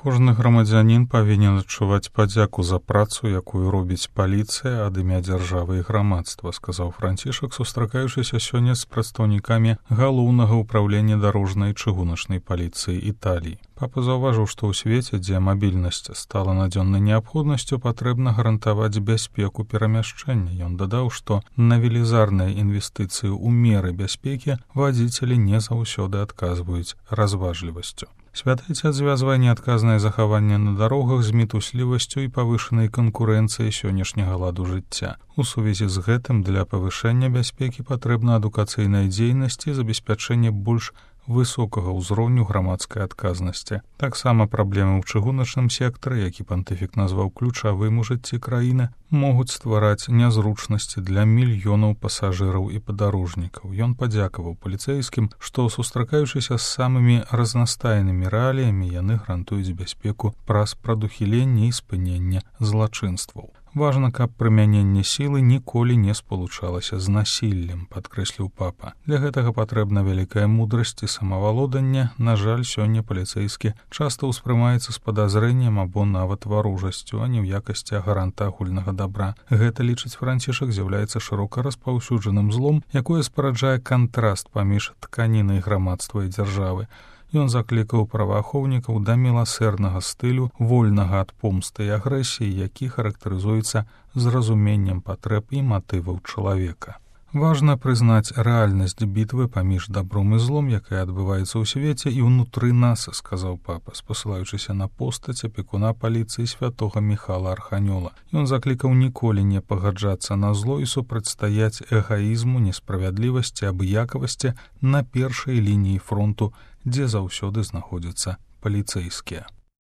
Кожны грамадзянін павінен адчуваць падзяку за працу, якую робіць паліцыя ад імя дзяржавы і грамадства, сказаў Францішак, сустракаючыся сёння з прадстаўнікамі галоўнага ўправлення дарожнай і чыгуначнай паліцыі Італіі. Папа заўважыў, што ў свеце, дзе мабільнасць стала надзённай неабходнасцю, патрэбна гарантаваць бяспеку перамяшчэння. Ён дадаў, што на велізарныя інвестыцыі ў меры бяспекі вадзіцелі не заўсёды адказваюць разважлівасцю. Святыця звязвае неадказнае захаванне на дарогах з мітуслівасцю і павышанай канкурэнцыяй сённяшняга ладу жыцця. У сувязі з гэтым для павышэння бяспекі патрэбна адукацыйная дзейнасць і забеспячэнне больш высокага ўзроўню грамадскай адказнасці. Таксама праблемы ў чыгуначным сектары, які пантыфік назваў ключавым у жыцці краіны, могуць ствараць нязручнасці для мільёнаў пасажыраў і падарожнікаў. Ён падзякаваў паліцэйскім, што, сустракаючыся з самымі разнастайнымі рэаліямі, яны гарантуюць бяспеку праз прадухіленне і спыненне злачынстваў. Важна, каб прымяненне сілы ніколі не спалучалася з насіллем, падкрэсліў папа. Для гэтага патрэбна вялікая мудрасць і самавалоданне. На жаль, сёння паліцэйскі часта ўспрымаецца з падазрэннем або нават варожасцю, а не ў якасці гаранта агульнага добра. Гэта, лічыць Францішак, з'яўляецца шырока распаўсюджаным злом, якое спараджае кантраст паміж тканінай грамадства і дзяржавы. Ён заклікаў праваахоўнікаў да міласэрнага стылю, вольнага ад помсты і агрэсіі, які характарызуецца зразуменнем патрэб і матываў чалавека. Важна прызнаць рэальнасць бітвы паміж дабром і злом, якая адбываецца ў свеце і ўнутры нас, сказаў папа, спасылаючыся на постаць апекуна паліцыі святога Міхала Арханёла. Ён заклікаў ніколі не пагаджацца на зло і супрацьстаяць эгаізму, несправядлівасці, абыякавасці на першай лініі фронту, дзе заўсёды знаходзяцца паліцэйскія.